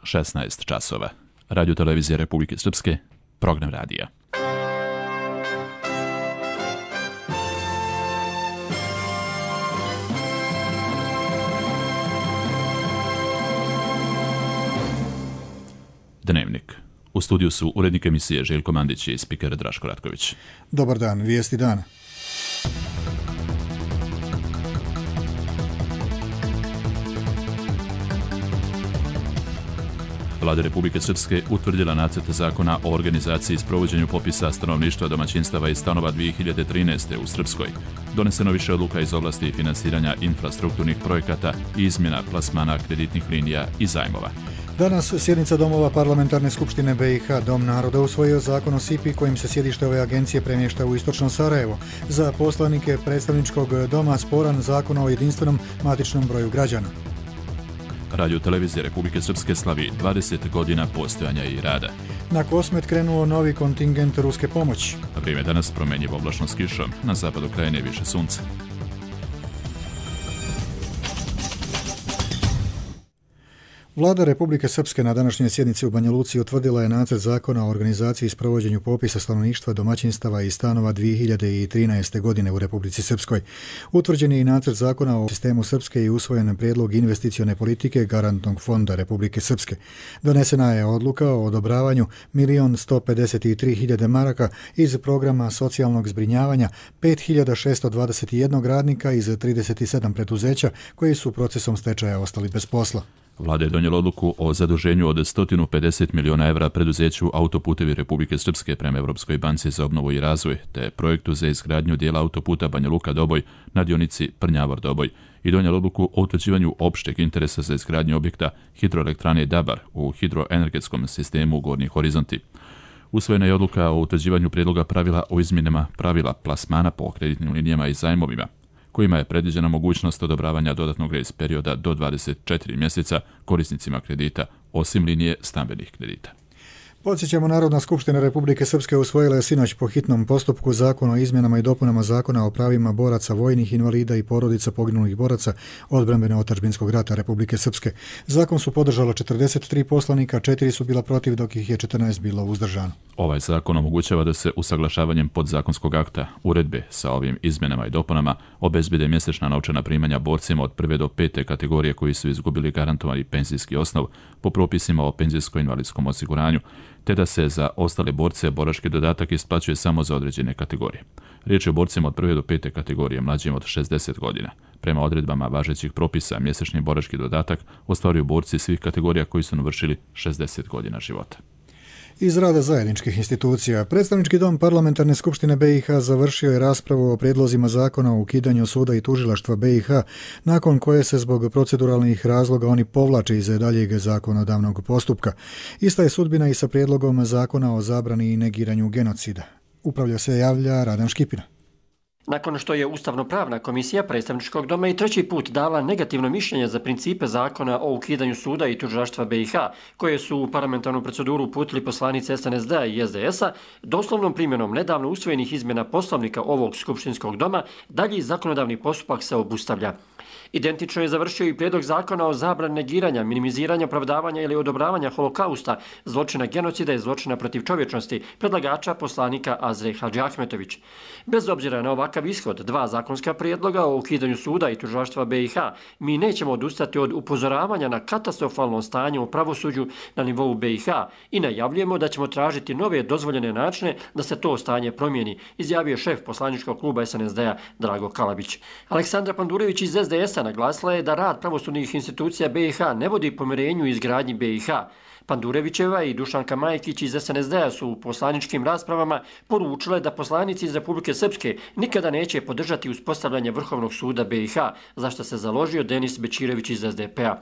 16 časova. Radio televizija Republike Srpske, program radija. Dnevnik. U studiju su urednik emisije Željko Mandić i spiker Draško Ratković. Dobar dan, vijesti dana. Vlada Republike Srpske utvrdila nacrt zakona o organizaciji i sprovođenju popisa stanovništva, domaćinstava i stanova 2013. u Srpskoj. Doneseno više odluka iz oblasti finansiranja infrastrukturnih projekata i izmjena plasmana kreditnih linija i zajmova. Danas sjednica Domova Parlamentarne skupštine BiH. Dom naroda usvojio zakon o SIPI kojim se sjedište ove agencije premješta u istočno Sarajevo. Za poslanike predstavničkog doma sporan zakon o jedinstvenom matičnom broju građana. Radio televizija Republike Srpske slavi 20 godina postojanja i rada. Na Kosmet krenuo novi kontingent ruske pomoći. Vrijeme danas promjenjivo oblačno s kišom, na zapadu krajine više sunca. Vlada Republike Srpske na današnjoj sjednici u Banja Luci utvrdila je nacrt zakona o organizaciji i sprovođenju popisa stanovništva, domaćinstava i stanova 2013. godine u Republici Srpskoj. Utvrđen je i nacrt zakona o sistemu Srpske i usvojen prijedlog investicione politike Garantnog fonda Republike Srpske. Donesena je odluka o odobravanju 1.153.000 maraka iz programa socijalnog zbrinjavanja 5.621 radnika iz 37 preduzeća koji su procesom stečaja ostali bez posla. Vlada je donijela odluku o zaduženju od 150 miliona evra preduzeću Autoputevi Republike Srpske prema Europskoj banci za obnovu i razvoj, te projektu za izgradnju dijela autoputa Banja Luka-Doboj na dionici Prnjavor-Doboj i donijela odluku o utvrđivanju opšteg interesa za izgradnju objekta hidroelektrane Dabar u hidroenergetskom sistemu Gornji Horizonti. Usvojena je odluka o utvrđivanju prijedloga pravila o izmjenama pravila plasmana po kreditnim linijama i zajmovima, kojima je predviđena mogućnost odobravanja dodatnog grace perioda do 24 mjeseca korisnicima kredita, osim linije stambenih kredita. Podsjećamo, Narodna skupština Republike Srpske usvojila je sinoć po hitnom postupku zakon o izmjenama i dopunama zakona o pravima boraca, vojnih invalida i porodica poginulih boraca odbrambeno otadžbinskog rata Republike Srpske. Zakon su podržalo 43 poslanika, 4 su bila protiv, dok ih je 14 bilo uzdržano. Ovaj zakon omogućava da se usaglašavanjem podzakonskog akta uredbe sa ovim izmjenama i dopunama obezbede mjesečna novčana primanja borcima od 1. do 5. kategorije koji su izgubili garantovani penzijski osnov po propisima o penzijsko-invalidskom osiguranju, te da se za ostale borce borački dodatak isplaćuje samo za određene kategorije. Riječ je o borcima od 1. do 5. kategorije mlađim od 60 godina. Prema odredbama važećih propisa, mjesečni borački dodatak ostvaruju borci svih kategorija koji su navršili 60 godina života. Iz rada zajedničkih institucija, predstavnički dom Parlamentarne skupštine BiH završio je raspravu o prijedlozima zakona o ukidanju suda i tužilaštva BiH, nakon koje se zbog proceduralnih razloga oni povlače iz daljeg zakonodavnog postupka. Ista je sudbina i sa prijedlogom zakona o zabrani i negiranju genocida. Upravlja se javlja Radan Škipina. Nakon što je Ustavno-pravna komisija predstavničkog doma i treći put dala negativno mišljenje za principe zakona o ukidanju suda i tužilaštva BiH, koje su u parlamentarnu proceduru uputili poslanici SNSD-a i SDS-a, doslovnom primjenom nedavno usvojenih izmjena poslovnika ovog skupštinskog doma, dalji zakonodavni postupak se obustavlja. Identično je završio i prijedlog zakona o zabrani negiranja, minimiziranja, opravdavanja ili odobravanja holokausta, zločina genocida i zločina protiv čovječnosti, predlagača poslanika Azre Hadžiahmetović. Bez obzira na ovakav ishod dva zakonska prijedloga o ukidanju suda i tužilaštva BiH, mi nećemo odustati od upozoravanja na katastrofalno stanje u pravosuđu na nivou BiH i najavljujemo da ćemo tražiti nove dozvoljene načine da se to stanje promijeni, izjavio šef poslaničkog kluba SNSD-a Drago Kalabić. Aleksandra Pandurević iz SDS-a naglasila je da rad pravosudnih institucija BiH ne vodi pomirenju i izgradnji BiH. Pandurevićeva i Dušanka Majkić iz SNSD-a su u poslaničkim raspravama poručile da poslanici iz Republike Srpske nikada neće podržati uspostavljanje Vrhovnog suda BiH, za što se založio Denis Bećirević iz SDP-a.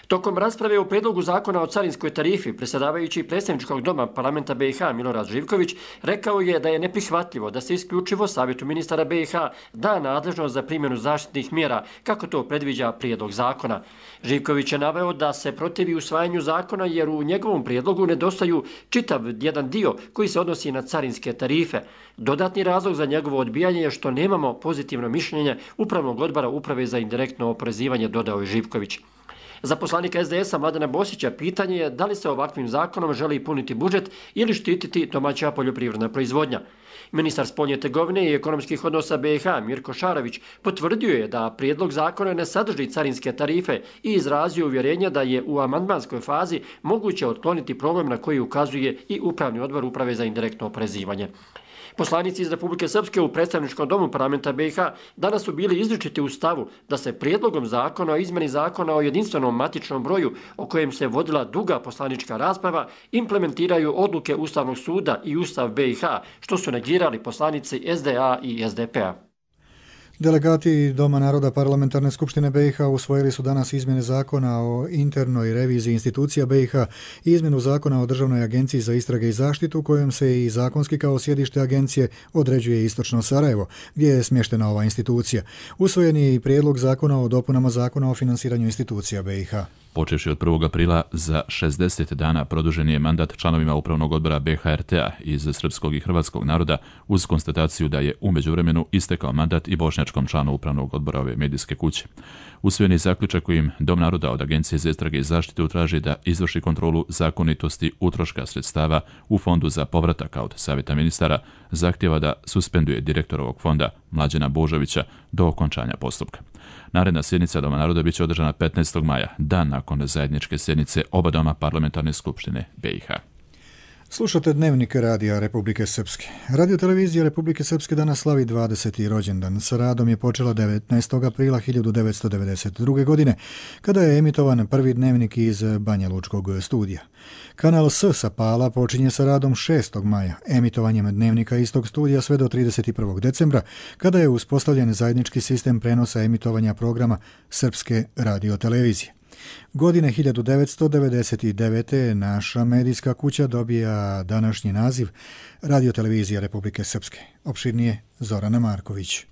Tokom rasprave o predlogu zakona o carinskoj tarifi, predsjedavajući predstavničkog doma parlamenta BiH Milorad Živković rekao je da je neprihvatljivo da se isključivo Savjetu ministara BiH da nadležnost za primjenu zaštitnih mjera, kako to predviđa prijedlog zakona. Živković je naveo da se protivi usvajanju zakona jer u njegovom prijedlogu nedostaju čitav jedan dio koji se odnosi na carinske tarife. Dodatni razlog za njegovo odbijanje je što nemamo pozitivno mišljenje Upravnog odbora Uprave za indirektno oporezivanje, dodao je Živković. Za poslanika SDS-a Mladena Bosića pitanje je da li se ovakvim zakonom želi puniti budžet ili štititi domaća poljoprivredna proizvodnja. Ministar spoljne trgovine i ekonomskih odnosa BiH Mirko Šarović potvrdio je da prijedlog zakona ne sadrži carinske tarife i izrazio uvjerenje da je u amandmanskoj fazi moguće otkloniti problem na koji ukazuje i Upravni odbor Uprave za indirektno oporezivanje. Poslanici iz Republike Srpske u predstavničkom domu parlamenta BiH danas su bili izričiti u stavu da se prijedlogom zakona o izmjeni zakona o jedinstvenom matičnom broju, o kojem se vodila duga poslanička rasprava, implementiraju odluke Ustavnog suda i Ustav BiH, što su negirali poslanici SDA i SDP-a. Delegati Doma naroda Parlamentarne skupštine BiH usvojili su danas izmjene zakona o internoj reviziji institucija BiH i izmjenu zakona o Državnoj agenciji za istrage i zaštitu, kojom se i zakonski kao sjedište agencije određuje istočno Sarajevo, gdje je smještena ova institucija. Usvojen je i prijedlog zakona o dopunama zakona o finansiranju institucija BiH. Počevši od 1. aprila za 60 dana produžen je mandat članovima Upravnog odbora BHRT-a iz srpskog i hrvatskog naroda uz konstataciju da je u međuvremenu istekao mandat i bošnjačkom članu Upravnog odbora ove medijske kuće. Usvojen je zaključak kojim Dom naroda od Agencije za istrage i zaštitu traži da izvrši kontrolu zakonitosti utroška sredstava u Fondu za povratak, a od Savjeta ministara zahtjeva da suspenduje direktorovog fonda Mlađena Božovića do okončanja postupka. Naredna sjednica Doma naroda biće održana 15. maja, dan nakon zajedničke sjednice oba doma Parlamentarne skupštine BiH. Slušate Dnevnik Radija Republike Srpske. Radiotelevizija Republike Srpske danas slavi 20. rođendan. Sa radom je počela 19. aprila 1992. godine, kada je emitovan prvi dnevnik iz Banja Lučkog studija. Kanal S sa Pala počinje sa radom 6. maja, emitovanjem dnevnika istog studija sve do 31. decembra, kada je uspostavljen zajednički sistem prenosa emitovanja programa Srpske radiotelevizije. Godine 1999. naša medijska kuća dobija današnji naziv Radiotelevizija Republike Srpske. Opširnije Zorana Marković.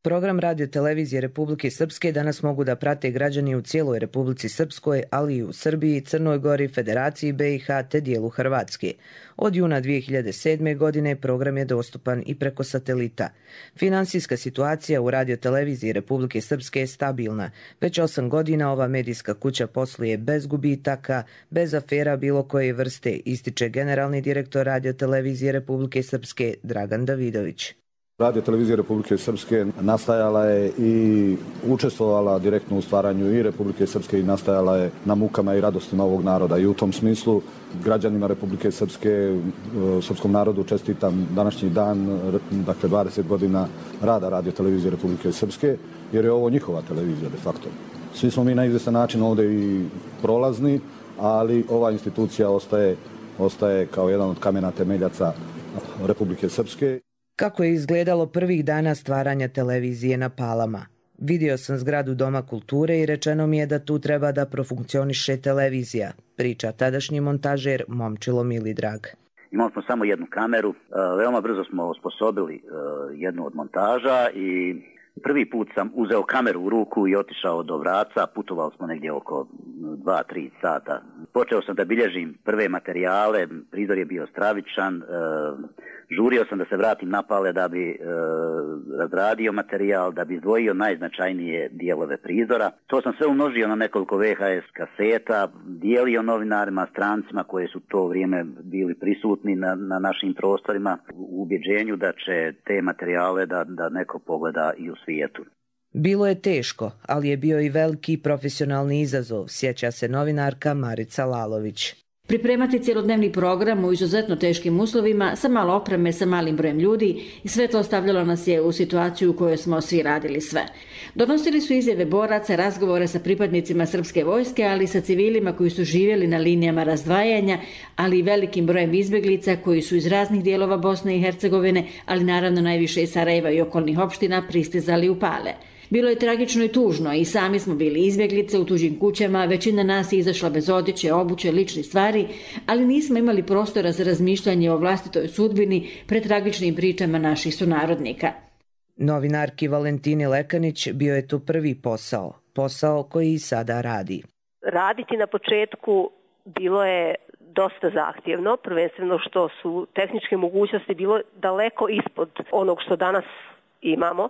Program Radiotelevizije Republike Srpske danas mogu da prate građani u cijeloj Republici Srpskoj, ali i u Srbiji, Crnoj Gori, Federaciji BiH te dijelu Hrvatske. Od juna 2007. godine program je dostupan i preko satelita. Finansijska situacija u Radioteleviziji Republike Srpske je stabilna. Već 8 godina ova medijska kuća posluje bez gubitaka, bez afera bilo koje vrste, ističe generalni direktor Radiotelevizije Republike Srpske Dragan Davidović. Radiotelevizija Republike Srpske nastajala je i učestvovala direktno u stvaranju i Republike Srpske i nastajala je na mukama i radostima ovog naroda. I u tom smislu građanima Republike Srpske, srpskom narodu čestitam današnji dan, dakle 20 godina rada Radiotelevizije Republike Srpske, jer je ovo njihova televizija de facto. Svi smo mi na izvjestan način ovdje i prolazni, ali ova institucija ostaje kao jedan od kamena temeljaca Republike Srpske. Kako je izgledalo prvih dana stvaranja televizije na Palama? Vidio sam zgradu Doma kulture i rečeno mi je da tu treba da profunkcioniše televizija, priča tadašnji montažer Momčilo Milidrag. Imali smo samo jednu kameru, veoma brzo smo osposobili jednu od montaža i prvi put sam uzeo kameru u ruku i otišao do Vraca, putovali smo negdje oko 2-3 sata. Počeo sam da bilježim prve materijale, prizor je bio stravičan, žurio sam da se vratim na Pale da bi razradio materijal, da bi izdvojio najznačajnije dijelove prizora. To sam sve umnožio na nekoliko VHS kaseta, dijelio novinarima, strancima koji su to vrijeme bili prisutni na našim prostorima u ubjeđenju da će te materijale da neko pogleda i u svijetu. Bilo je teško, ali je bio i veliki profesionalni izazov, sjeća se novinarka Marica Lalović. Pripremati cjelodnevni program u izuzetno teškim uslovima, sa malo opreme, sa malim brojem ljudi i sve to stavljalo nas je u situaciju u kojoj smo svi radili sve. Donosili su izjave boraca, razgovore sa pripadnicima srpske vojske, ali i sa civilima koji su živjeli na linijama razdvajanja, ali i velikim brojem izbjeglica koji su iz raznih dijelova Bosne i Hercegovine, ali naravno najviše iz Sarajeva i okolnih opština pristizali u Pale. Bilo je tragično i tužno i sami smo bili izbjeglice u tuđim kućama, većina nas je izašla bez odjeće, obuće, ličnih stvari, ali nismo imali prostora za razmišljanje o vlastitoj sudbini pred tragičnim pričama naših sunarodnika. Novinarki Valentini Lekanić bio je tu prvi posao koji i sada radi. Raditi na početku bilo je dosta zahtjevno, prvenstveno što su tehničke mogućnosti bilo daleko ispod onog što danas imamo,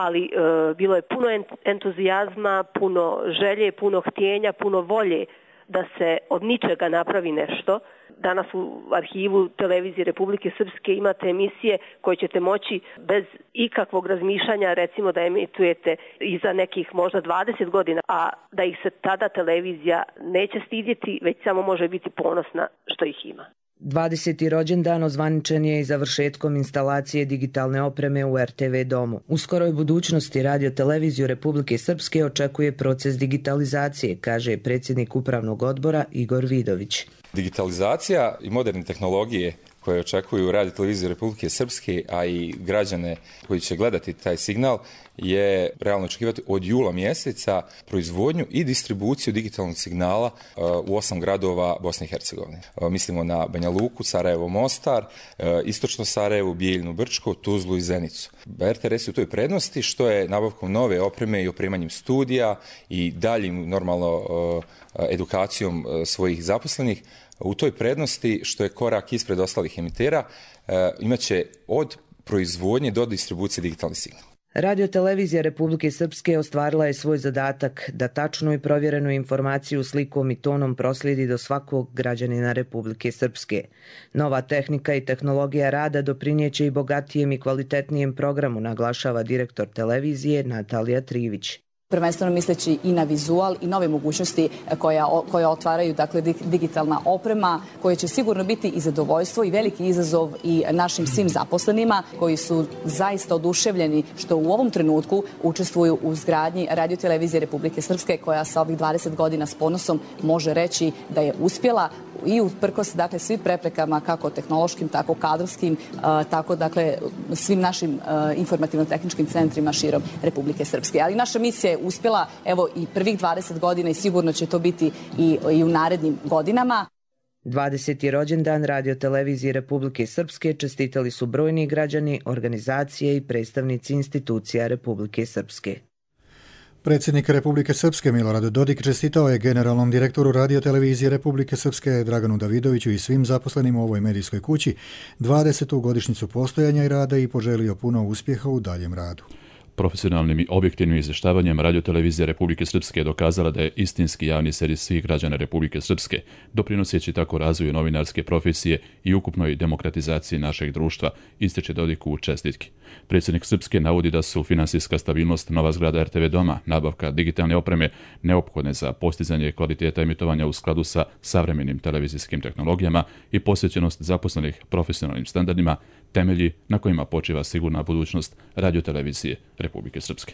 ali bilo je puno entuzijazma, puno želje, puno htjenja, puno volje da se od ničega napravi nešto. Danas u arhivu Televizije Republike Srpske imate emisije koje ćete moći bez ikakvog razmišljanja, recimo da emitujete i za nekih možda 20 godina, a da ih se tada televizija neće stidjeti, već samo može biti ponosna što ih ima. 20. rođendan ozvaničen je i završetkom instalacije digitalne opreme u RTV domu. U skoroj budućnosti Radio-televiziju Republike Srpske očekuje proces digitalizacije, kaže predsjednik upravnog odbora Igor Vidović. Digitalizacija i moderne tehnologije koje očekuju Radio-televiziju Republike Srpske, a i građane koji će gledati taj signal, je realno očekivati od jula mjeseca proizvodnju i distribuciju digitalnog signala u 8 gradova Bosne i Hercegovine. Mislimo na Banja Luku, Sarajevo, Mostar, istočno Sarajevo, Bijeljinu, Brčko, Tuzlu i Zenicu. RTS je u toj prednosti što je nabavkom nove opreme i opremanjem studija i daljim normalno edukacijom svojih zaposlenih u toj prednosti što je korak ispred ostalih emitera, imaće od proizvodnje do distribucije digitalni signal. Radio-televizija Republike Srpske ostvarila je svoj zadatak da tačnu i provjerenu informaciju slikom i tonom proslijedi do svakog građanina Republike Srpske. Nova tehnika i tehnologija rada doprinijeće i bogatijem i kvalitetnijem programu, naglašava direktor televizije Natalija Trivić. Prvenstveno misleći i na vizual i nove mogućnosti koje otvaraju digitalna oprema, koje će sigurno biti i zadovoljstvo i veliki izazov i našim svim zaposlenima koji su zaista oduševljeni što u ovom trenutku učestvuju u izgradnji Radio-televizije Republike Srpske, koja sa ovih 20 godina s ponosom može reći da je uspjela i uprkos svim preprekama, kako tehnološkim, tako kadrovskim, tako svim našim informativno-tehničkim centrima širom Republike Srpske. Ali naša misija je uspjela, evo, i prvih 20 godina i sigurno će to biti i u narednim godinama. 20. rođendan Radio-televizije Republike Srpske čestitali su brojni građani, organizacije i predstavnici institucija Republike Srpske. Predsjednik Republike Srpske Milorad Dodik čestitao je generalnom direktoru Radio-televizije Republike Srpske Draganu Davidoviću i svim zaposlenima u ovoj medijskoj kući 20. godišnjicu postojanja i rada i poželio puno uspjeha u daljem radu. Profesionalnim i objektivnim izvještavanjem Radio-televizija Republike Srpske je dokazala da je istinski javni servis svih građana Republike Srpske, doprinoseći tako razvoju novinarske profesije i ukupnoj demokratizaciji našeg društva, ističe Dodik u čestitki. Predsjednik Srpske navodi da su finansijska stabilnost, nova zgrada RTV doma, nabavka digitalne opreme neophodne za postizanje kvaliteta emitovanja u skladu sa savremenim televizijskim tehnologijama i posvećenost zaposlenih profesionalnim standardima, temelji na kojima počiva sigurna budućnost Radio-televizije Republike Srpske.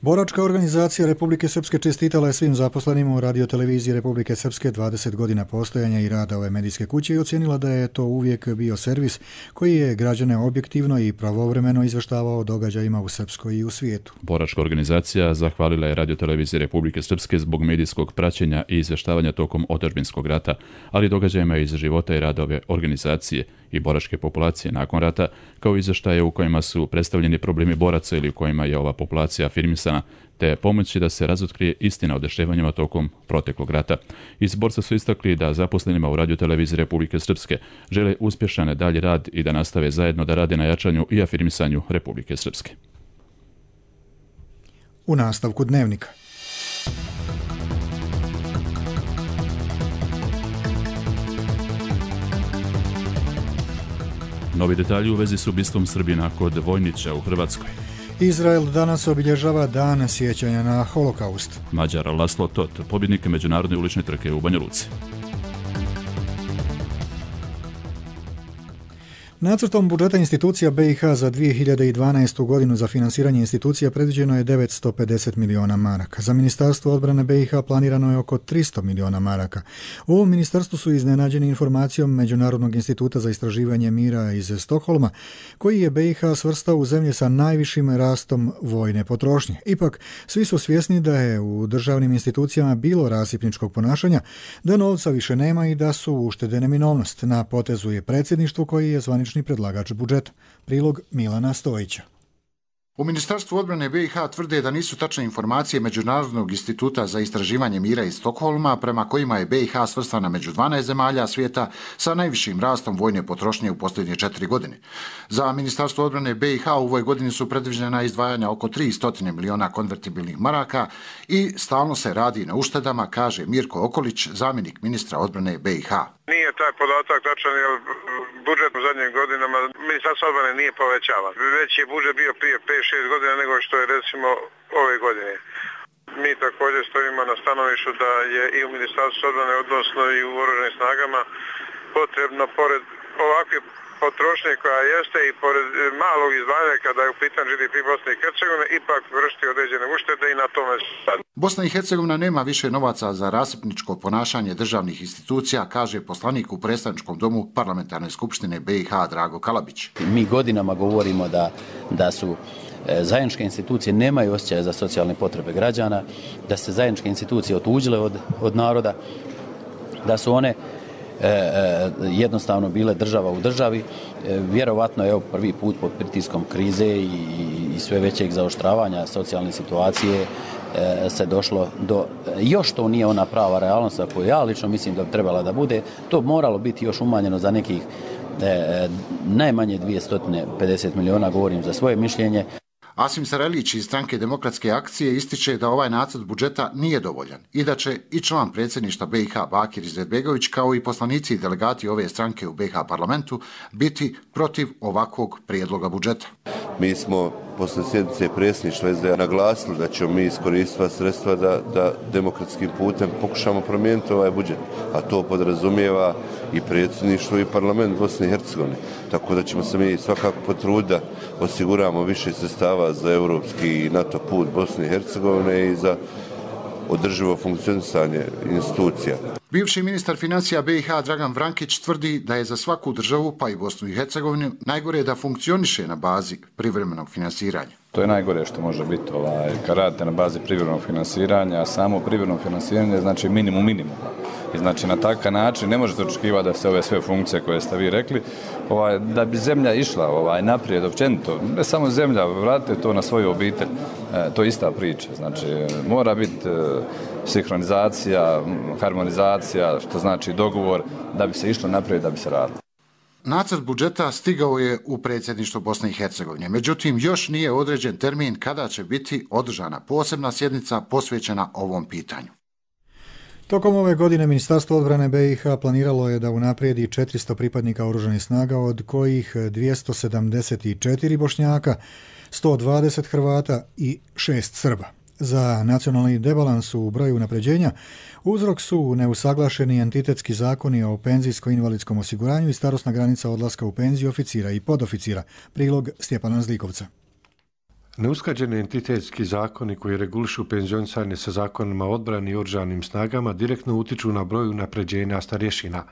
Boračka organizacija Republike Srpske čestitala je svim zaposlenima u Radio-televiziji Republike Srpske 20 godina postojanja i rada ove medijske kuće i ocijenila da je to uvijek bio servis koji je građane objektivno i pravovremeno izvještavao o događajima u Srpskoj i u svijetu. Boračka organizacija zahvalila je Radio-televiziji Republike Srpske zbog medijskog praćenja i izvještavanja tokom otadžbinskog rata, ali i događajima iz života i rada ove organizacije i boračke populacije nakon rata, kao izvještaje u kojima su predstavljeni problemi boraca ili u kojima je ova populacija afirmisana, te pomoći da se razotkrije istina o dešavanjima tokom proteklog rata. Iz borca su istakli da zaposlenima u Radio-televiziji Republike Srpske žele uspješan dalji rad i da nastave zajedno da rade na jačanju i afirmisanju Republike Srpske. U nastavku dnevnika. Novi detalji u vezi s ubistvom Srbina kod Vojnića u Hrvatskoj. Izrael danas obilježava dan sjećanja na holokaust. Mađar Laslo Tot, pobjednik međunarodne ulične trke u Banja Luci. Nacrtom budžeta institucija BiH za 2012. godinu za finansiranje institucija predviđeno je 950 miliona maraka. Za Ministarstvo odbrane BiH planirano je oko 300 miliona maraka. U ovom ministarstvu su iznenađeni informacijom Međunarodnog instituta za istraživanje mira iz Stokholma, koji je BiH svrstao u zemlje sa najvišim rastom vojne potrošnje. Ipak, svi su svjesni da je u državnim institucijama bilo rasipničkog ponašanja, da novca više nema i da su uštede neminovnost. Na potezu je predsjedništvo koji je zvanični predlagač budžeta. Prilog Milana Stojića. U Ministarstvu odbrane BiH tvrde da nisu tačne informacije Međunarodnog instituta za istraživanje mira iz Stokholma, prema kojima je BiH svrstana među 12 zemalja svijeta sa najvišim rastom vojne potrošnje u posljednje 4 godine. Za Ministarstvo odbrane BiH u ovoj godini su predviđena izdvajanja oko 300 miliona konvertibilnih maraka i stalno se radi na uštedama, kaže Mirko Okolić, zamjenik ministra odbrane BiH. Nije taj podatak tačan, jer budžet u zadnjim godinama Ministarstvo odbrane nije povećavan. Već je budžet bio prije 5-6 godina nego što je recimo ove godine. Mi također stojimo na stanovištu da je i u Ministarstvu odbrane, odnosno i u oružanim snagama, potrebno pored ovakve potrošnje koja jeste i pored malog izdvajanja kada je u pitanju GDP Bosne i Hercegovine ipak vršiti određene uštede i na tome sad. Bosna i Hercegovina nema više novaca za rasipničko ponašanje državnih institucija, kaže poslanik u predstavničkom domu Parlamentarne skupštine BiH Drago Kalabić. Mi godinama govorimo da su zajedničke institucije nemaju osjećaja za socijalne potrebe građana, da se zajedničke institucije otuđile od naroda, da su one jednostavno bile država u državi. Vjerovatno je prvi put pod pritiskom krize i sve većeg zaoštravanja socijalne situacije se došlo do, još to nije ona prava realnost koju ja lično mislim da bi trebala da bude, to moralo biti još umanjeno za nekih najmanje 250 miliona, govorim za svoje mišljenje. Asim Sarajlić iz Stranke demokratske akcije ističe da ovaj nacrt budžeta nije dovoljan i da će i član predsjedništva BiH Bakir Izetbegović kao i poslanici i delegati ove stranke u BiH parlamentu biti protiv ovakvog prijedloga budžeta. Mi smo posle sjednice predsjedništva SDA naglasili da ćemo mi iskoristiti sredstva da demokratskim putem pokušamo promijeniti ovaj budžet, a to podrazumijeva i predsjedništvo i parlament Bosne i Hercegovine. Tako da ćemo se mi svakako potruditi da osiguramo više sredstava za europski i NATO put Bosne i Hercegovine i za održivo funkcionisanje institucija. Bivši ministar financija BiH Dragan Vrankić tvrdi da je za svaku državu, pa i Bosnu i Hercegovinu, najgore da funkcioniše na bazi privremenog finansiranja. To je najgore što može biti kad radite na bazi privremenog finansiranja, a samo privremeno finansiranje znači minimum. I znači na takav način ne možete očekivati da se ove sve funkcije koje ste vi rekli, da bi zemlja išla naprijed općenito, ne samo zemlja, vratite to na svoju obitelj, to je ista priča. Znači mora biti sinhronizacija, harmonizacija, što znači dogovor da bi se išlo naprijed, da bi se radilo. Nacrt budžeta stigao je u predsjedništvo Bosne i Hercegovine, međutim još nije određen termin kada će biti održana posebna sjednica posvećena ovom pitanju. Tokom ove godine Ministarstvo odbrane BiH planiralo je da unaprijedi 400 pripadnika oružanih snaga, od kojih 274 Bošnjaka, 120 Hrvata i 6 Srba. Za nacionalni debalans u broju unapređenja uzrok su neusaglašeni entitetski zakoni o penzijsko-invalidskom osiguranju i starosna granica odlaska u penziju oficira i podoficira. Prilog Stjepana Zlikovca. Neusklađeni entitetski zakoni koji regulišu penzionisanje sa zakonima o odbrani i oružanim snagama direktno utiču na broj unapređenja starješina.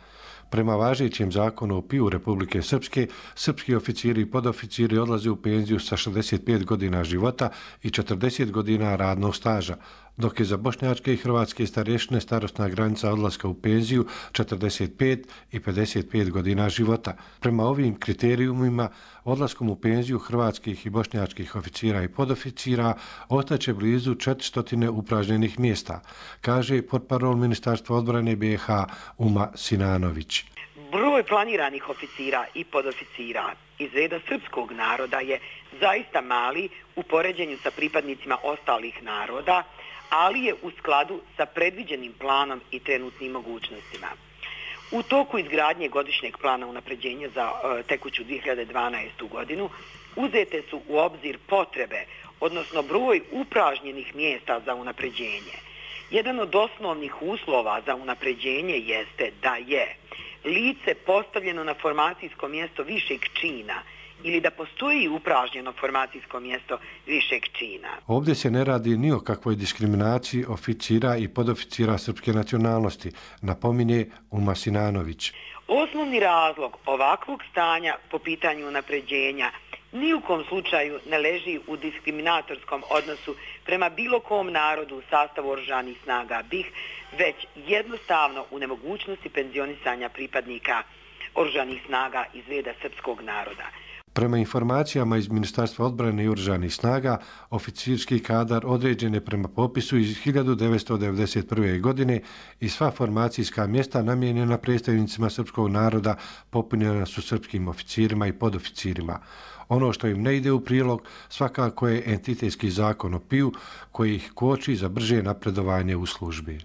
Prema važećem zakonu o PIU Republike Srpske, srpski oficiri i podoficiri odlaze u penziju sa 65 godina života i 40 godina radnog staža, dok je za bošnjačke i hrvatske starješine starosna granica odlaska u penziju 45 i 55 godina života. Prema ovim kriterijumima, odlaskom u penziju hrvatskih i bošnjačkih oficira i podoficira ostaće blizu 400 upražnjenih mjesta, kaže portparol Ministarstva odbrane BiH Uma Sinanović. Broj planiranih oficira i podoficira iz reda srpskog naroda je zaista mali u poređenju sa pripadnicima ostalih naroda, ali je u skladu sa predviđenim planom i trenutnim mogućnostima. U toku izgradnje godišnjeg plana unapređenja za tekuću 2012. godinu uzete su u obzir potrebe, odnosno broj upražnjenih mjesta za unapređenje. Jedan od osnovnih uslova za unapređenje jeste da je lice postavljeno na formacijsko mjesto višeg čina ili da postoji upražnjeno formacijsko mjesto višeg čina. Ovdje se ne radi ni o kakvoj diskriminaciji oficira i podoficira srpske nacionalnosti, napominje Uma Sinanović. Osnovni razlog ovakvog stanja po pitanju unapređenja ni u kom slučaju ne leži u diskriminatorskom odnosu prema bilo kom narodu u sastavu oružanih snaga BiH, već jednostavno u nemogućnosti penzionisanja pripadnika oružanih snaga iz reda srpskog naroda. Prema informacijama iz Ministarstva odbrane i oružanih snaga, oficirski kadar određen je prema popisu iz 1991. godine i sva formacijska mjesta namijenjena predstavnicima srpskog naroda popunjena su srpskim oficirima i podoficirima. Ono što im ne ide u prilog svakako je entitetski zakon o PIU koji ih koči za brže napredovanje u službi.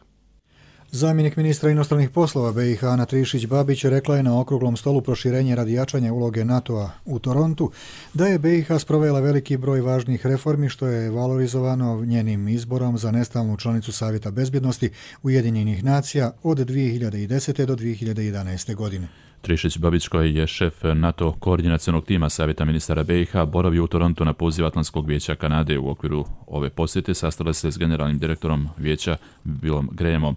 Zamjenik ministra inostranih poslova BiH Ana Trišić-Babić rekla je na okruglom stolu proširenje radi jačanja uloge NATO-a u Torontu da je BiH sprovela veliki broj važnih reformi što je valorizovano njenim izborom za nestalnu članicu Savjeta bezbjednosti Ujedinjenih nacija od 2010. do 2011. godine. Trišić-Babić, koji je šef NATO koordinacionog tima Savjeta ministara BiH, boravio u Torontu na poziv Atlantskog vijeća Kanade. U okviru ove posjete sastala se s generalnim direktorom vijeća Billom Grahamom,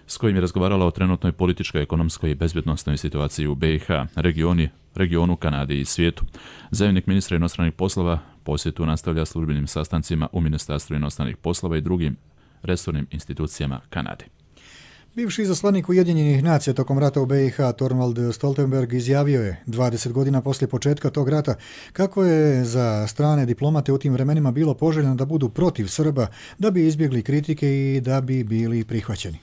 s kojim je razgovarala o trenutnoj političkoj, ekonomskoj i bezbjednosnoj situaciji u BiH, regionu, Kanadi i svijetu. Zamjenik ministra inostranih poslova posjetu nastavlja službenim sastancima u Ministarstvu inostranih poslova i drugim resornim institucijama Kanade. Bivši izaslanik Ujedinjenih nacija tokom rata u BiH Thorvald Stoltenberg izjavio je 20 godina poslije početka tog rata kako je za strane diplomate u tim vremenima bilo poželjno da budu protiv Srba, da bi izbjegli kritike i da bi bili prihvaćeni.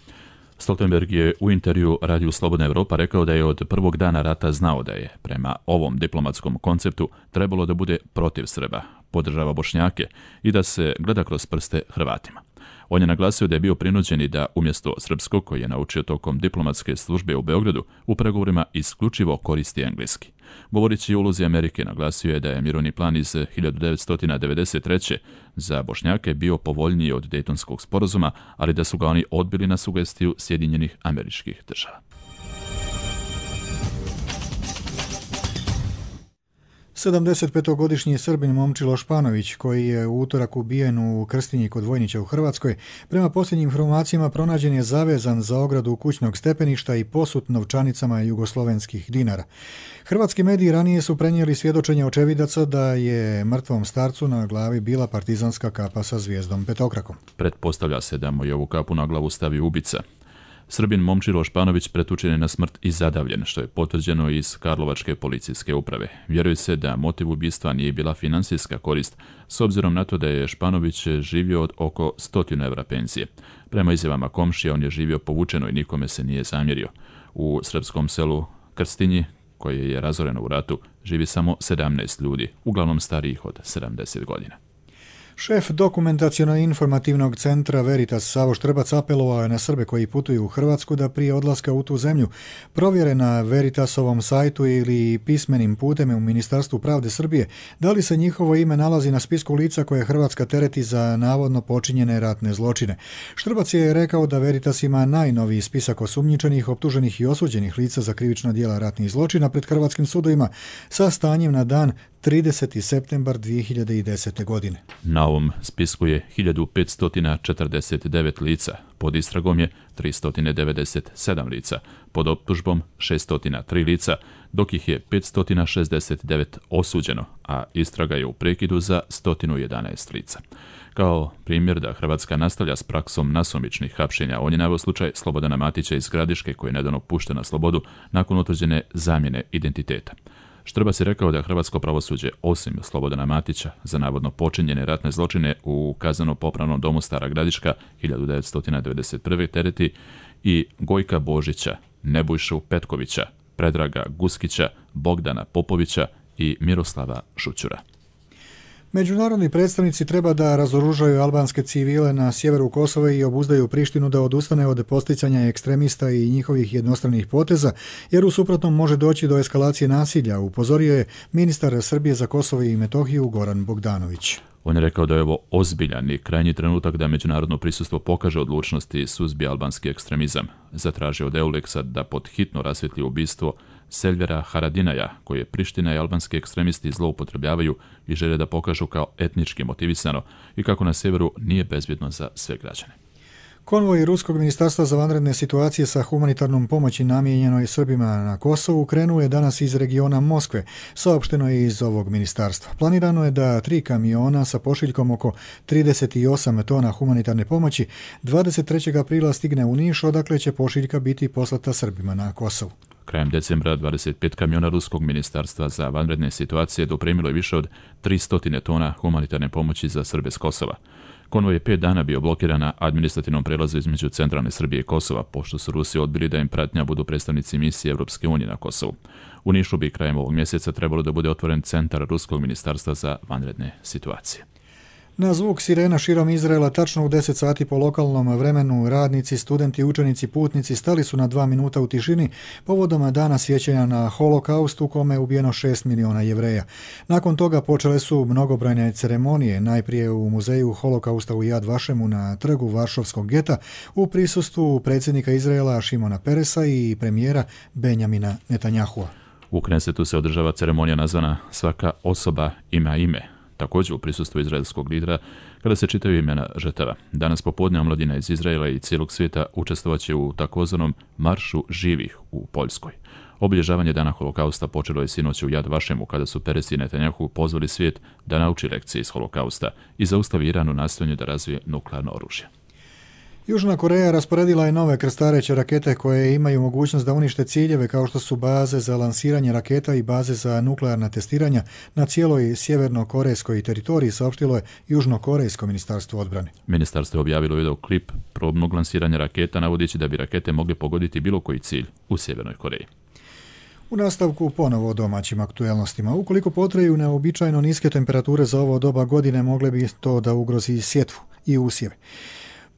Stoltenberg je u intervju Radiju Slobodna Evropa rekao da je od prvog dana rata znao da je, prema ovom diplomatskom konceptu, trebalo da bude protiv Srba, podržava Bošnjake i da se gleda kroz prste Hrvatima. On je naglasio da je bio prinuđen i da umjesto srpskog, koji je naučio tokom diplomatske službe u Beogradu, u pregovorima isključivo koristi engleski. Govoreći o ulozi Amerike, naglasio je da je mirovni plan iz 1993. za Bošnjake bio povoljniji od Dejtonskog sporazuma, ali da su ga oni odbili na sugestiju Sjedinjenih Američkih Država. 75-godišnji Srbin Momčilo Španović, koji je u utorak ubijen u Krstinji kod Vojnića u Hrvatskoj, prema posljednjim informacijama pronađen je zavezan za ogradu kućnog stepeništa i posut novčanicama jugoslovenskih dinara. Hrvatski mediji ranije su prenijeli svjedočenje očevidaca da je mrtvom starcu na glavi bila partizanska kapa sa zvijezdom petokrakom. Pretpostavlja se da mu je ovu kapu na glavu stavio ubica. Srbin Momčilo Španović pretučen je na smrt i zadavljen, što je potvrđeno iz Karlovačke policijske uprave. Vjeruje se da motiv ubistva nije bila financijska korist, s obzirom na to da je Španović živio od oko 100 evra penzije. Prema izjavama komšija, on je živio povučeno i nikome se nije zamjerio. U srpskom selu Krstinji, koje je razoreno u ratu, živi samo 17 ljudi, uglavnom starijih od 70 godina. Šef dokumentaciono-informativnog centra Veritas Savo Štrbac apelovao je na Srbe koji putuju u Hrvatsku da prije odlaska u tu zemlju provjere na Veritasovom sajtu ili pismenim putem u Ministarstvu pravde Srbije da li se njihovo ime nalazi na spisku lica koje Hrvatska tereti za navodno počinjene ratne zločine. Štrbac je rekao da Veritas ima najnoviji spisak osumnjičenih, optuženih i osuđenih lica za krivična djela ratnih zločina pred hrvatskim sudovima sa stanjem na dan 30. septembar 2010. godine. Na ovom spisku je 1549 lica, pod istragom je 397 lica, pod optužbom 603 lica, dok ih je 569 osuđeno, a istraga je u prekidu za 111 lica. Kao primjer da Hrvatska nastavlja s praksom nasumičnih hapšenja, on je naveo slučaj Slobodana Matića iz Gradiške, koji je nedavno pušten na slobodu nakon utvrđene zamjene identiteta. Štrbac je rekao da hrvatsko pravosuđe, osim Slobodana Matića, za navodno počinjene ratne zločine u kazneno-popravnom domu Stara Gradiška 1991. tereti i Gojka Božića, Nebojšu Petkovića, Predraga Guskića, Bogdana Popovića i Miroslava Šućura. Međunarodni predstavnici treba da razoružaju albanske civile na sjeveru Kosova i obuzdaju Prištinu da odustane od posticanja ekstremista i njihovih jednostranih poteza, jer u suprotnom može doći do eskalacije nasilja, upozorio je ministar Srbije za Kosovo i Metohiju Goran Bogdanović. On je rekao da je ovo ozbiljan i krajnji trenutak da međunarodno prisustvo pokaže odlučnost i suzbije albanski ekstremizam. Zatražio od EULEX-a da pod hitno rasvjetli ubistvo Selvera Haradinaja, koje Priština i albanski ekstremisti zloupotrebljavaju i žele da pokažu kao etnički motivisano i kako na sjeveru nije bezbjedno za sve građane. Konvoj Ruskog ministarstva za vanredne situacije sa humanitarnom pomoći namijenjenoj Srbima na Kosovu krenuo je danas iz regiona Moskve, saopšteno je iz ovog ministarstva. Planirano je da 3 kamiona sa pošiljkom oko 38 tona humanitarne pomoći 23. aprila stigne u Niš, odakle će pošiljka biti poslata Srbima na Kosovu. Krajem decembra 25 kamiona Ruskog ministarstva za vanredne situacije dopremilo je više od 300 tona humanitarne pomoći za Srbe s Kosova. Konvoj je 5 dana bio blokiran na administrativnom prelazu između centralne Srbije i Kosova, pošto su Rusi odbili da im pratnja budu predstavnici misije Europske unije na Kosovu. U Nišu bi krajem ovog mjeseca trebalo da bude otvoren centar Ruskog ministarstva za vanredne situacije. Na zvuk sirena širom Izraela tačno u 10 sati po lokalnom vremenu radnici, studenti, učenici, putnici stali su na 2 minuta u tišini povodom dana sjećanja na holokaust u kome je ubijeno 6 miliona Jevreja. Nakon toga počele su mnogobrojne ceremonije, najprije u muzeju holokausta u Yad Vašemu na trgu Varšavskog geta u prisustvu predsjednika Izraela Šimona Peresa i premijera Benjamina Netanjahua. U Knesetu se održava ceremonija nazvana Svaka osoba ima ime, također u prisustvu izraelskog lidera, kada se čitaju imena žrtava. Danas popodne omladina iz Izraela i cijelog svijeta učestvovat će u takozvanom Maršu živih u Poljskoj. Obilježavanje dana holokausta počelo je sinoć u Yad Vašemu, kada su Peres i Netanjahu pozvali svijet da nauči lekcije iz holokausta i zaustavi Iran u nastojanju da razvije nuklearno oružje. Južna Koreja rasporedila je nove krstareće rakete koje imaju mogućnost da unište ciljeve kao što su baze za lansiranje raketa i baze za nuklearna testiranja na cijeloj sjeverno-korejskoj teritoriji, saopštilo je Južno-korejsko ministarstvo odbrane. Ministarstvo je objavilo video klip probnog lansiranja raketa, navodeći da bi rakete mogle pogoditi bilo koji cilj u Sjevernoj Koreji. U nastavku ponovo o domaćim aktuelnostima. Ukoliko potraju neobičajno niske temperature za ovo doba godine, mogle bi to da ugrozi sjetvu i usjeve.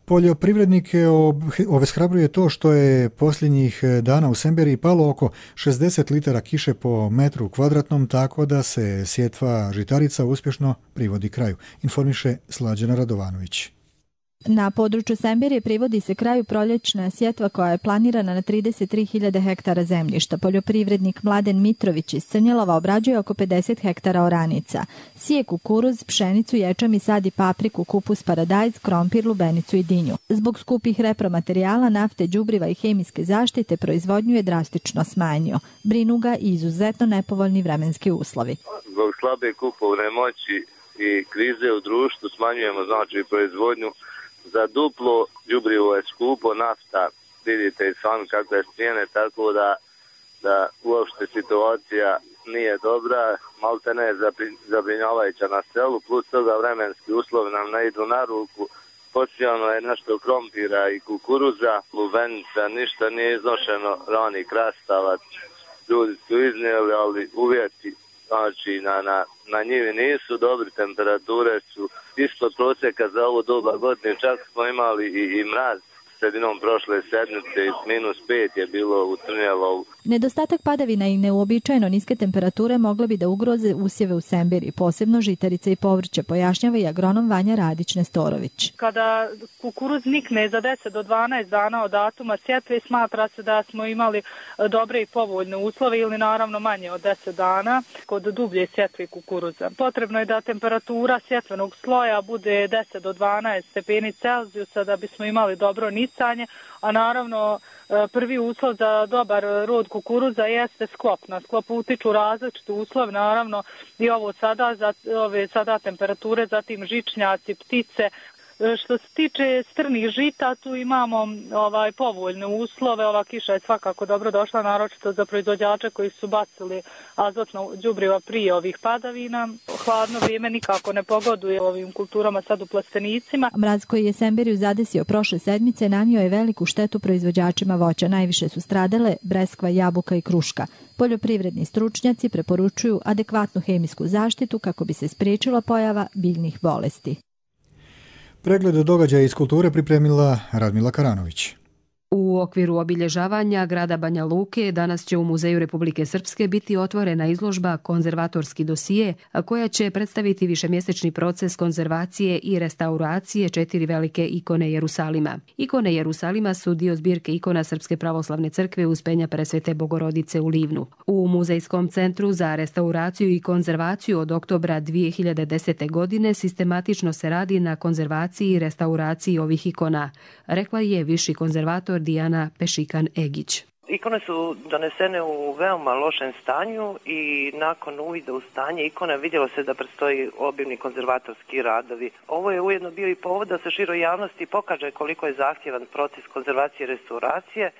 Poljoprivrednike obeshrabruje to što je posljednjih dana u Semberiji palo oko 60 litara kiše po metru kvadratnom, tako da se sjetva žitarica uspješno privodi kraju, informiše Slađana Radovanović. Na području Semberije privodi se kraju proljećna sjetva koja je planirana na 33.000 hektara zemljišta. Poljoprivrednik Mladen Mitrović iz Crnjelova obrađuje oko 50 hektara oranica. Sije kukuruz, pšenicu, ječam i sadi papriku, kupus, paradajz, krompir, lubenicu i dinju. Zbog skupih repromaterijala, nafte, đubriva i hemijske zaštite proizvodnju je drastično smanjio. Brinu ga i izuzetno nepovoljni vremenski uslovi. Zbog slabe kupovne moći i krize u društvu smanjujemo proizvodnju. Za duplo đubrivo je skupo, nafta, vidite i sami kakve cijene, tako da uopšte situacija nije dobra, maltene je zabrinjavajuća na selu, plus toga vremenski uslovi nam ne idu na ruku, posijano je nešto krompira i kukuruza, lubenica, ništa nije iznošeno, rani krastavac, ljudi su iznijeli, ali uvjeti na njivi nisu dobri, temperature su ispod prosjeka za ovo doba godine, čak smo imali i mraz sredinom prošle sedmice, -5 je bilo u Crnjelovu. Nedostatak padavina i neuobičajeno niske temperature mogle bi da ugroze usjeve u Semberiji, posebno žitarice i povrće, pojašnjava i agronom Vanja Radić-Nestorović. Kada kukuruz nikne za 10 do 12 dana od datuma sjetve, smatra se da smo imali dobre i povoljne uslove ili naravno manje od 10 dana kod dublje sjetve kukuruza. Potrebno je da temperatura sjetvenog sloja bude 10 do 12 stepeni Celzijusa da bismo imali dobro nicanje, a naravno prvi uslov za dobar rod kukuruza jeste sklop. Na sklopu utiču različite uslove, naravno i ovo sada temperature, zatim žičnjaci, ptice. Što se tiče strnih žita, tu imamo povoljne uslove. Ova kiša je svakako dobro došla, naročito za proizvođače koji su bacili azotno đubriva prije ovih padavina. Hladno vrijeme nikako ne pogoduje ovim kulturama sad u plastenicima. Mraz koji je Semberiju zadesio prošle sedmice nanio je veliku štetu proizvođačima voća. Najviše su stradale breskva, jabuka i kruška. Poljoprivredni stručnjaci preporučuju adekvatnu hemijsku zaštitu kako bi se spriječila pojava biljnih bolesti. Pregled događaja iz kulture pripremila Radmila Karanović. U okviru obilježavanja grada Banja Luke danas će u Muzeju Republike Srpske biti otvorena izložba Konzervatorski dosije, koja će predstaviti višemjesečni proces konzervacije i restauracije 4 velike ikone Jerusalima. Ikone Jerusalima su dio zbirke ikona Srpske pravoslavne crkve Uspenja Presvete Bogorodice u Livnu. U Muzejskom centru za restauraciju i konzervaciju od oktobra 2010. godine sistematično se radi na konzervaciji i restauraciji ovih ikona, rekla je viši konzervator Dijana Pešikan-Egić. Ikone su donesene u veoma lošem stanju i nakon uvida u stanje ikone vidjelo se da predstoji obimni konzervatorski radovi. Ovo je ujedno bio i povod da se široj javnosti pokaže koliko je zahtjevan proces konzervacije i restauracije.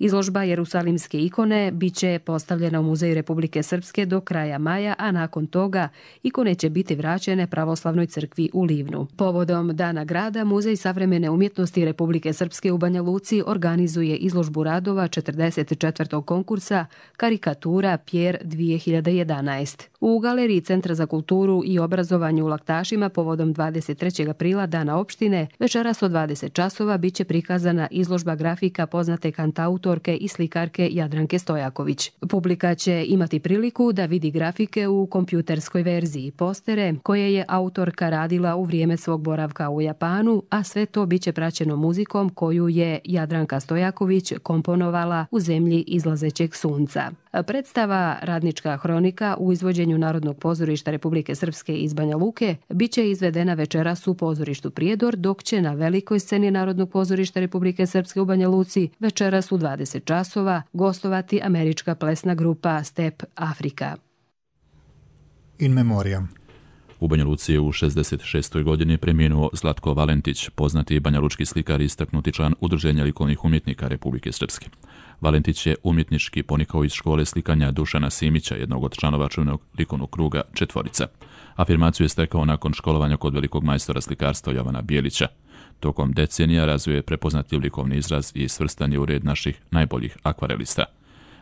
Izložba Jerusalimske ikone biće postavljena u Muzeju Republike Srpske do kraja maja, a nakon toga ikone će biti vraćene Pravoslavnoj crkvi u Livnu. Povodom Dana grada, Muzej savremene umjetnosti Republike Srpske u Banja Luci organizuje izložbu radova 44. konkursa Karikatura Pjer 2011. U galeriji Centra za kulturu i obrazovanje u Laktašima povodom 23. aprila Dana opštine večeras od 20 časova biće prikazana izložba grafika poznate kantautorke i slikarke Jadranke Stojaković. Publika će imati priliku da vidi grafike u kompjuterskoj verziji, postere koje je autorka radila u vrijeme svog boravka u Japanu, a sve to biće praćeno muzikom koju je Jadranka Stojaković komponovala u zemlji izlazećeg sunca. Predstava Radnička hronika u izvođenju Narodnog pozorišta Republike Srpske iz Banja Luke biće izvedena večeras u pozorištu Prijedor, dok će na velikoj sceni Narodnog pozorišta Republike Srpske u Banja Luci večeras u 20 časova gostovati američka plesna grupa Step Afrika. In memoriam. U Banja Luci je u 66. godini preminuo Zlatko Valentić, poznati banjalučki slikar i istaknuti član Udruženja likovnih umjetnika Republike Srpske. Valentić je umjetnički ponikao iz škole slikanja Dušana Simića, jednog od članova čuvenog likovnog kruga Četvorica. Afirmaciju je stekao nakon školovanja kod velikog majstora slikarstva Jovana Bijelića. Tokom decenija razvio je prepoznatljiv likovni izraz i svrstan je u red naših najboljih akvarelista.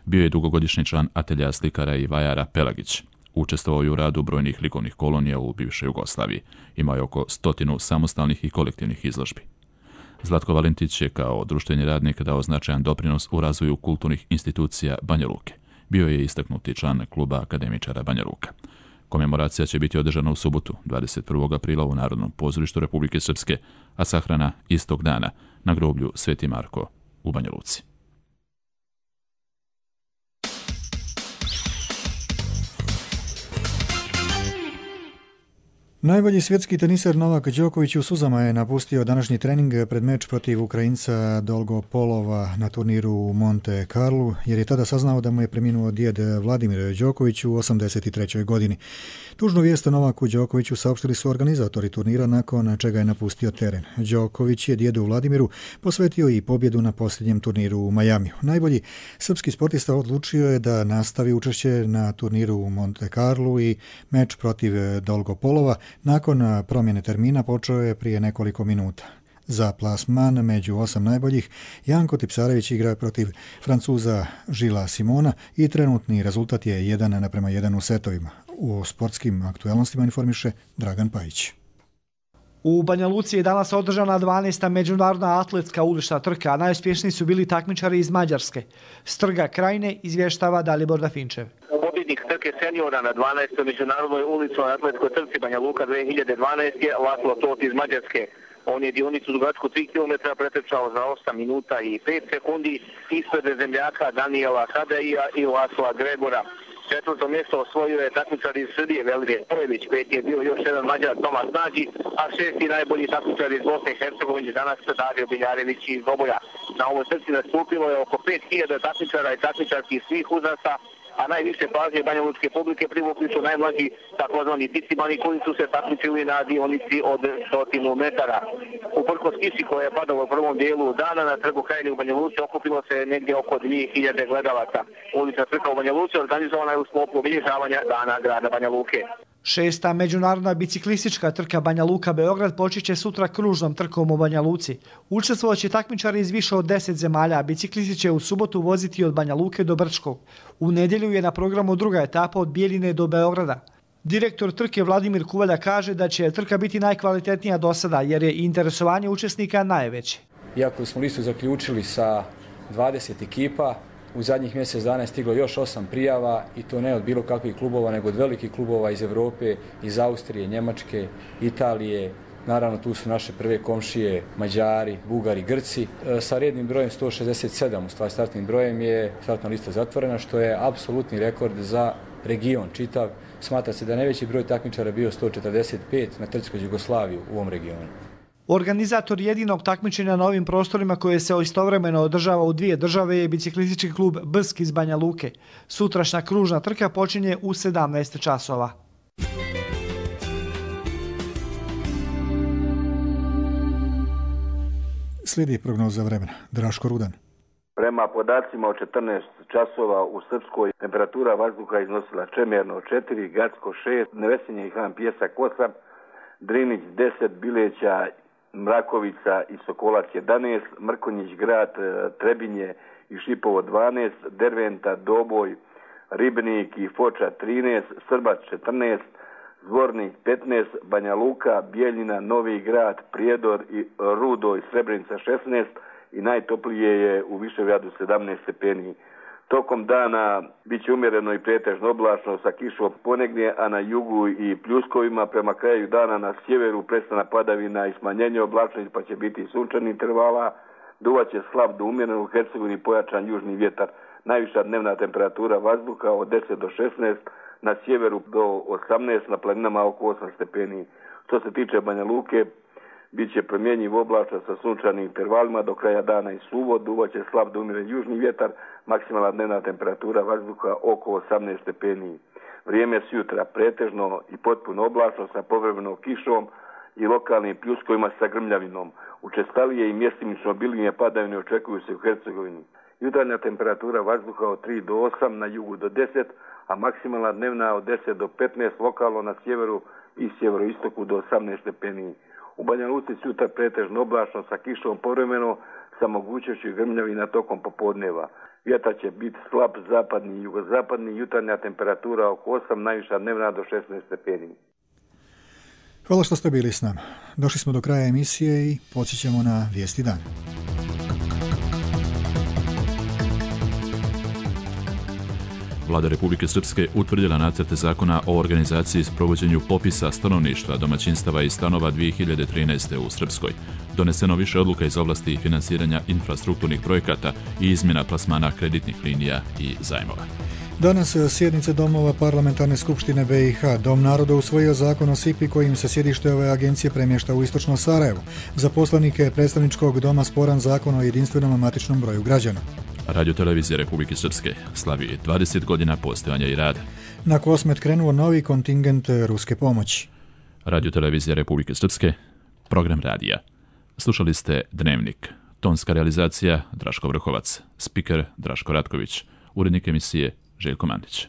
Bio je dugogodišnji član atelja slikara i vajara Pelagić. Učestvovao je u radu brojnih likovnih kolonija u bivšoj Jugoslaviji. Imao je oko 100 samostalnih i kolektivnih izložbi. Zlatko Valentić je kao društveni radnik dao značajan doprinos u razvoju kulturnih institucija Banja Luke. Bio je istaknuti član kluba akademičara Banja Luka. Komemoracija će biti održana u subotu, 21. aprila u Narodnom pozorištu Republike Srpske, a sahrana istog dana na groblju Sveti Marko u Banja Luci. Najbolji svjetski teniser Novak Đoković u suzama je napustio današnji trening pred meč protiv Ukrajinca Dolgopolova na turniru u Monte Carlu, jer je tada saznao da mu je preminuo djed Vladimir Đoković u 83. godini. Tužnu vijest o Novaku Đokoviću saopštili su organizatori turnira, nakon čega je napustio teren. Đoković je djedu Vladimiru posvetio i pobjedu na posljednjem turniru u Majamiju. Najbolji srpski sportista odlučio je da nastavi učešće na turniru u Monte Carlu i meč protiv Dolgopolova nakon promjene termina počeo je prije nekoliko minuta. Za plasman među 8 najboljih Janko Tipsarević igra protiv Francuza Žila Simona i trenutni rezultat je 1:1 u setovima. U sportskim aktualnostima informiše Dragan Pajić. U Banja Luci je danas održana 12. međunarodna atletska ulična trka, a najuspješniji su bili takmičari iz Mađarske. S trga Krajine izvještava Dalibor Dafinčev. Pobjednik trke seniora na 12. međunarodnoj uličnoj atletskoj trci Banja Luka 2012 je Laslo Tot iz Mađarske. On je dionicu dugačku 3 km pretrčao za 8 minuta i 5 sekundi ispred zemljaka Daniela Hadeija i Lasla Gregora. Četvrto mjesto osvojio je takmičar iz Srbije Velimir Pojević, peti je bio još jedan Mađar Tomas Nađi, a šesti najbolji takmičar iz Bosne i Hercegovine danas Dario Biljarević iz Doboja. Na ovoj trci nastupilo je oko 5000 takmičara i takmičarki svih uzrasta, a najviše pažnje banja lučke publike privukli su najmlađi takozvani ticimani koji su se takmičili na dionici od 100 metara. Uprkos kiši koja je padala u prvom dijelu dana na trgu Krajine u Banja Luci okupilo se negdje oko 2000 gledalaca. Ulična trka u Banja Luci organizovana je u sklopu obilježavanja Dana grada Banja Luke. 6. međunarodna biciklistička trka Banja Luka Beograd počeće sutra kružnom trkom u Banja Luci. Učestvovaće takmičari iz više od 10 zemalja, a biciklisti će u subotu voziti od Banja Luke do Brčkog. U nedjelju je na programu druga etapa od Bijeljine do Beograda. Direktor trke Vladimir Kuvalja kaže da će trka biti najkvalitetnija do sada, jer je interesovanje učesnika najveće. Iako smo listu zaključili sa 20 ekipa, u zadnjih mjesec dana je stiglo još 8 prijava i to ne od bilo kakvih klubova, nego od velikih klubova iz Europe, iz Austrije, Njemačke, Italije. Naravno, tu su naše prve komšije, Mađari, Bugari, Grci. Sa rednim brojem 167, u stvari startnim brojem, je startna lista zatvorena, što je apsolutni rekord za region čitav. Smatra se da je najveći broj takmičara bio 145 na trci kroz Jugoslaviju u ovom regionu. Organizator jedinog takmičenja na ovim prostorima koje se istovremeno održava u dvije države je biciklistički klub Brsk iz Banja Luke. Sutrašnja kružna trka počinje u 17 časova. Slijedi prognoza vremena. Draško Rudan. Prema podacima od 14 časova u Srpskoj temperatura vazduha iznosila Čemerno 4, Gacko 6, Nevesinje i Han Pjesak 8, Drinić 10, Bileća, Mrakovica i Sokolac 11, Mrkonjić Grad, Trebinje i Šipovo 12, Derventa, Doboj, Ribnik i Foča 13, Srbac 14, Zvornik 15, Banja Luka, Bijeljina, Novi Grad, Prijedor i Rudo i Srebrenica 16 i najtoplije je u Višegradu 17 stepeni. Tokom dana bit će umjereno i pretežno oblačno sa kišom ponegdje, a na jugu i pljuskovima. Prema kraju dana na sjeveru prestana padavina i smanjenje oblačnosti, pa će biti sunčani intervala. Duvaće slab do umjereno, u Hercegovini pojačan južni vjetar. Najviša dnevna temperatura vazduha od 10 do 16, na sjeveru do 18, na planinama oko 8 stepeni. Što se tiče Banja Luke, bit će promjenjiv oblačan sa sunčanim intervalima do kraja dana i suvo. Duvaće slab do umjeren južni vjetar, maksimalna dnevna temperatura vazduha oko 18 stepeni. Vrijeme s jutra pretežno i potpuno oblačno sa povremenom kišom i lokalnim pljuskovima sa grmljavinom. Učestalije i mjestimično obilnije padavine očekuju se u Hercegovini. Jutarnja temperatura vazduha od 3 do 8, na jugu do 10, a maksimalna dnevna od 10 do 15, lokalno na sjeveru i sjeveroistoku do 18 stepeni. U Banja Luci sutra pretežno oblačno sa kišom povremeno, sa mogućnošću grmljavina tokom popodneva. Vjetar će biti slab zapadni i jugozapadni, jutarnja temperatura oko 8, najviša dnevna do 16 stepeni. Hvala što ste bili s nama. Došli smo do kraja emisije i podsjećamo na vijesti dana. Vlada Republike Srpske utvrdila nacrte zakona o organizaciji i sprovođenju popisa stanovništva, domaćinstava i stanova 2013. u Srpskoj. Doneseno više odluka iz oblasti finansiranja infrastrukturnih projekata i izmjena plasmana kreditnih linija i zajmova. Danas sjednice domova Parlamentarne skupštine BiH. Dom naroda usvojio zakon o SIP-i kojim se sjedište ove agencije premješta u istočno Sarajevo. Za poslanike predstavničkog doma sporan zakon o jedinstvenom matičnom broju građana. Radiotelevizija Republike Srpske slavi 20 godina postojanja i rada. Na Kosmet krenuo novi kontingent ruske pomoći. Radiotelevizija Republike Srpske, program radija. Slušali ste Dnevnik. Tonska realizacija Draško Vrhovac, spiker Draško Ratković, urednik emisije Željko Mandić.